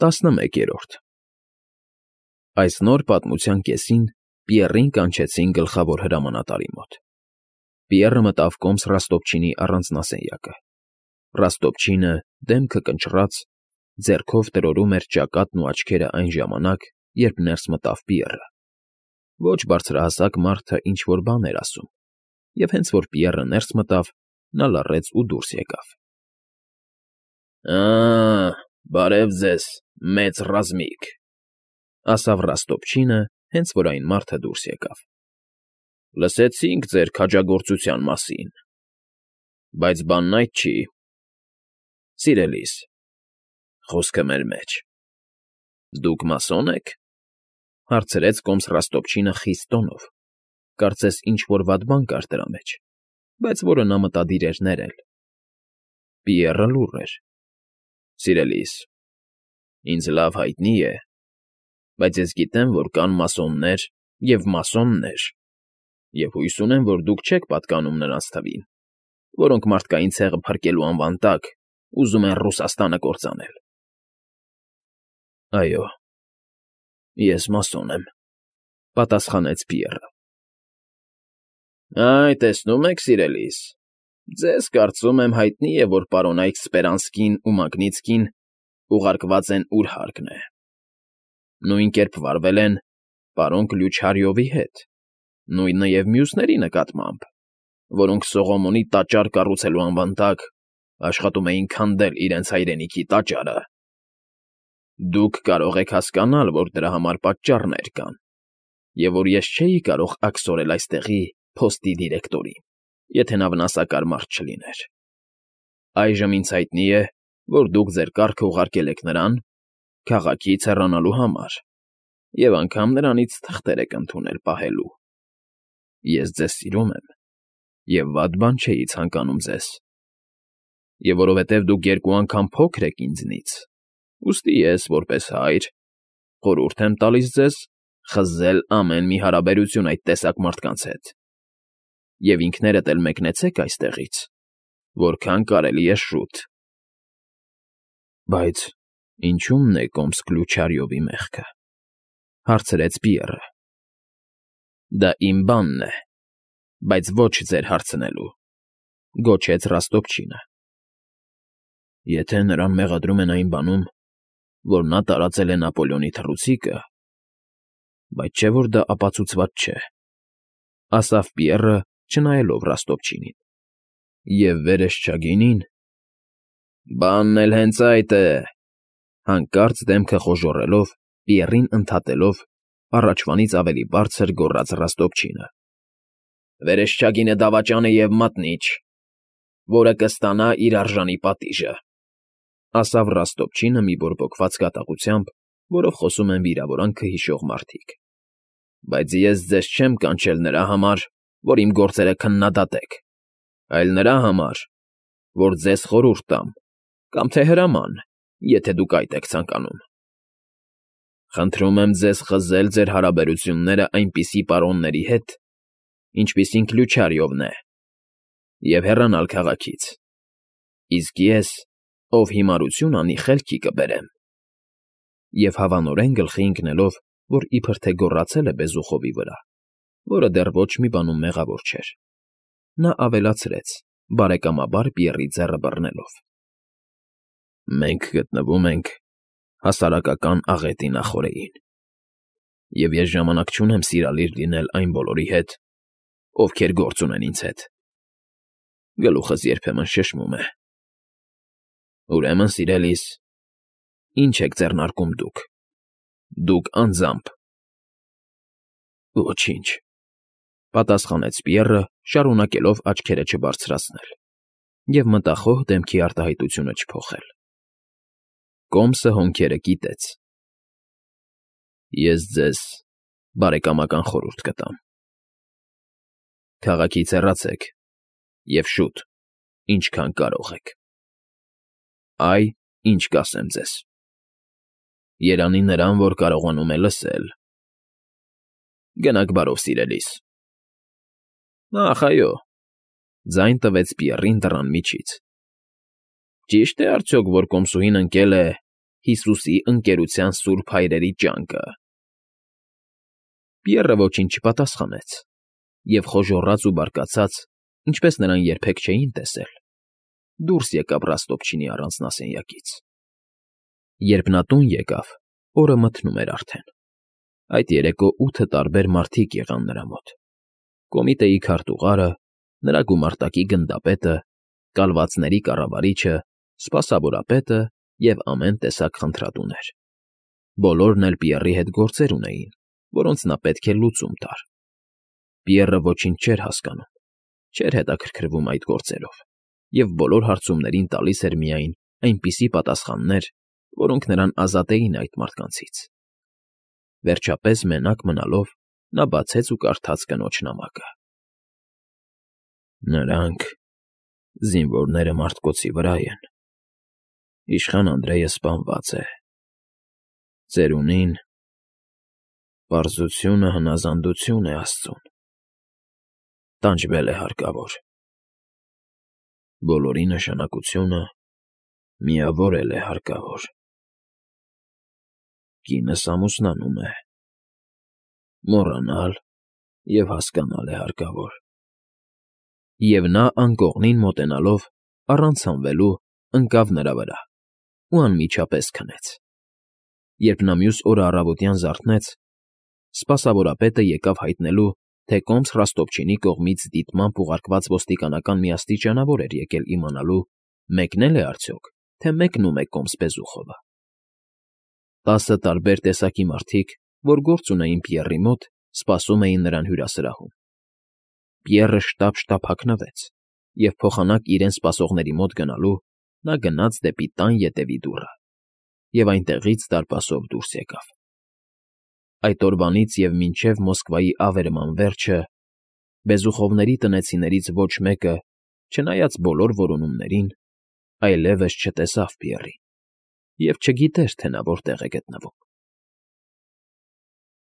11-րդ Այս նոր պատմության կեսին Պիեռին կանչեցին գլխավոր հրամանատարի մոտ։ Պիեռը մտավ կոմս Ռաստոպչինի առանձնասենյակը։ Ռաստոպչինը, դեմքը կնճռած, ձեռքով տրորում էր ճակատն ու աչքերը այն ժամանակ, երբ ներս մտավ Պիեռը։ Ոչ բարձրահասակ մարդը ինչ֊որ բան էր ասում, և հենց որ Պիեռը ներս մտավ, նա լռեց ու դուրս եկավ։ Բարև ձեզ, մեծ ռազմիկ, ասավ Ռաստոպչինը, հենց որ այն մարդը դուրս եկավ։ Լսեցինք ձեր քաջագործության մասին, բայց բանն այդ չի։ Սիրելիս, խոսքը մեր մեջ։ Դուք մասոն եք, հարցրեց կոմս Ռաստոպչինը խիստ տոնով, կարծես ինչ֊որ վատ բան կար դրա մեջ, բայց որը նա մտադիր էր ներել։ Պիեռը լուռ էր։ Սիրելիս, ինձ լավ հայտնի է, բայց ես գիտեմ, որ կան մասոններ և մասոններ, և հույս ունեմ, որ դուք չեք պատկանում նրանց թվին, որոնք մարդկային ցեղը փրկելու անվան տակ ուզում են Ռուսաստանը կործանել։ Այո, ես մասոն եմ, պատասխանեց Պիեռը։ Տեսնում եք, սիրելիս, ձեզ, կարծում եմ, հայտնի է, որ պարոնայք Սպերանսկին ու Մագնիցկին ուղարկված են ուր հարկն է։ Նույն կերպ վարվել են պարոն Կլյուչարյովի հետ, նույնը և մյուսների նկատմամբ, որոնք Սողոմոնի տաճար կառուցելու անվան տակ աշխատում էին քանդել իրենց հայրենիքի տաճարը։ Դուք կարող եք հասկանալ, որ դրա համար պատճառներ կան, և որ ես չէի կարող աքսորել այստեղի փոստի դիրեկտորին, եթե նա վնասակար մարդ չլիներ։ Այժմ ինձ հայտնի է, որ դուք ձեր կառքը ուղարկել եք նրան քաղաքից հեռանալու համար և անգամ նրանից թղթեր եք ընդունել պահելու։ Ես ձեզ սիրում եմ և վատ բան չէի ցանկանում ձեզ։ Եվ որովհետև դուք երկու անգամ փոքր եք ինձնից, ուստի ես, որպես հայր, խորհուրդ եմ տալիս ձեզ խզել ամեն մի հարաբերություն այդ տեսակ մարդկանց հետ, և ինքներդ էլ մեկնեցեք այստեղից, որքան կարելի է շուտ։ Բայց ինչո՞ւմն է կոմս Կլյուչարյովի մեղքը, հարցրեց Պիեռը։ Դա իմ բանն է, բայց ոչ ձեր հարցնելու, գոչեց Ռաստոպչինը։ Եթե նրան մեղադրում են այն բանում, որ նա տարածել է Նապոլեոնի թռուցիկը, բայց չէ՞ որ դա ապացուցված չէ, ասավ Պիեռը, չնայելով Ռաստոպչինին։ Եվ վերեսչագինին… Բանն էլ հենց այդ է, հանկարծ դեմքը խոժոռելով, Պիեռին ընդհատելով, առաջվանից ավելի բարձր գոռաց Ռաստոպչինը։ Վերեսչագինը դավաճան է և մատնիչ, որը կստանա իր արժանի պատիժը, ասավ Ռաստոպչինը մի բորբոքված կատաղությամբ, որով խոսում են վիրավորանքը հիշող մարդիկ։ Բայց ես ձեզ չեմ կանչել նրա համար, որ իմ գործերը քննադատեք, այլ նրա համար, որ ձեզ խորհուրդ տամ, կամ թե հրաման, եթե դուք այդ եք ցանկանում։ Խնդրում եմ ձեզ խզել ձեր հարաբերությունները այնպիսի պարոնների հետ, ինչպիսին Կլյուչարյովն է, և հեռանալ քաղաքից, իսկ ես, ով հիմարություն անի, խելքի կբերեմ։ Եվ հավանորեն գլխի ընկնելով, որ իբր թե գոռացել է Բեզուխովի վրա, որը դեռ ոչ մի բանում մեղավոր չէր, նա ավելացրեց, բարեկամաբար Պիեռի ձեռը բռնելով. Մենք գտնվում ենք հասարակական աղետի նախօրեին, և ես ժամանակ չունեմ սիրալիր լինել այն բոլորի հետ, ովքեր գործ ունեն ինձ հետ։ Գլուխս երբեմն շշմում է։ Ուրեմն, սիրելիս, ի՞նչ եք ձեռնարկում դուք։ Դուք անձամբ… Ոչինչ, պատասխանեց Պիեռը, շարունակելով աչքերը չբարձրացնել և մտախոհ դեմքի արտահայտությունը չփոխել։ Կոմսը հոնքերը կիտեց։ Ես ձեզ բարեկամական խորհուրդ կտամ. Քաղաքից հեռացեք և շուտ, ինչքան կարող եք։ Այ, ինչ կասեմ ձեզ. երանի նրան, որ կարողանում է լսել։ Գնաք բարով, սիրելիս։ Ախ, այո, ձայն տվեց Պիեռին դռան միջից։ Ճի՞շտ է արդյոք, որ կոմսուհին ընկել է Հիսուսի ընկերության սուրբ հայրերի ջանքը։ Պիեռը ոչինչ չպատասխանեց և խոժոռաց ու բարկացած, ինչպես նրան երբեք չէին տեսել, դուրս եկավ Ռաստոպչինի առանձնասենյակից։ Երբ նա տուն եկավ, օրը մթնում էր արդեն։ Այդ երեկո 8 տարբեր մարդիկ եղան նրա մոտ. կոմիտեի քարտուղարը, նրա գումարտակի գնդապետը, կալվածների կառավարիչը, սպասավորապետը և ամեն տեսակ խնդրատուներ։ Բոլորն էլ Պիեռի հետ գործեր ունեին, որոնց նա պետք է լուծում տար։ Պիեռը ոչինչ չէր հասկանում, չէր հետաքրքրվում այդ գործերով և բոլոր հարցումներին տալիս էր միայն այնպիսի պատասխաններ, որոնք նրան ազատեին այդ մարդկանցից։ Վերջապես, մենակ մնալով, նա բացեց ու կարդաց կնոջ նամակը. Նրանք, զինվորները, մարտկոցի վրա են։ Իշխան Անդրեյը սպանված է։ Ծերունին պարզությունը հնազանդություն է Աստծուն։ Տանջվել է հարկավոր։ Բոլորի նշանակությունը միավորել է հարկավոր։ Կինս ամուսնանում է։ Մոռանալ և հասկանալ է հարկավոր։ Եվ նա անկողնին մոտենալով, առանց հանվելու, ընկավ նրա վրա ու անմիջապես քնեց։ Երբ նա մյուս օրը առավոտյան զարթնեց, սպասավորապետը եկավ հայտնելու, թե Կոմս Ռաստոպչինի կողմից դիտմամբ ուղարկված ոստիկանական մի աստիճանավոր էր եկել իմանալու, մեկնել է արդյոք, թե մեկնում է Կոմս Բեզուխովը։ 10 տարբեր տեսակի մարդիկ, որ գործ ունեին Պիեռի մոտ, սպասում էին նրան հյուրասրահում։ Պիեռը շտապ հագնվեց, և փոխանակ իրեն սպասողների մոտ գնալու, նա գնաց դեպի տան ետևի դուռը և այնտեղից դարպասով դուրս եկավ։ Այդ օրվանից և մինչև Մոսկվայի ավերման վերջը Բեզուխովների տնեցիներից ոչ մեկը, չնայած բոլոր որոնումներին, այլևս չտեսավ Պիեռին և չգիտեր, թե նա որտեղ է գտնվում։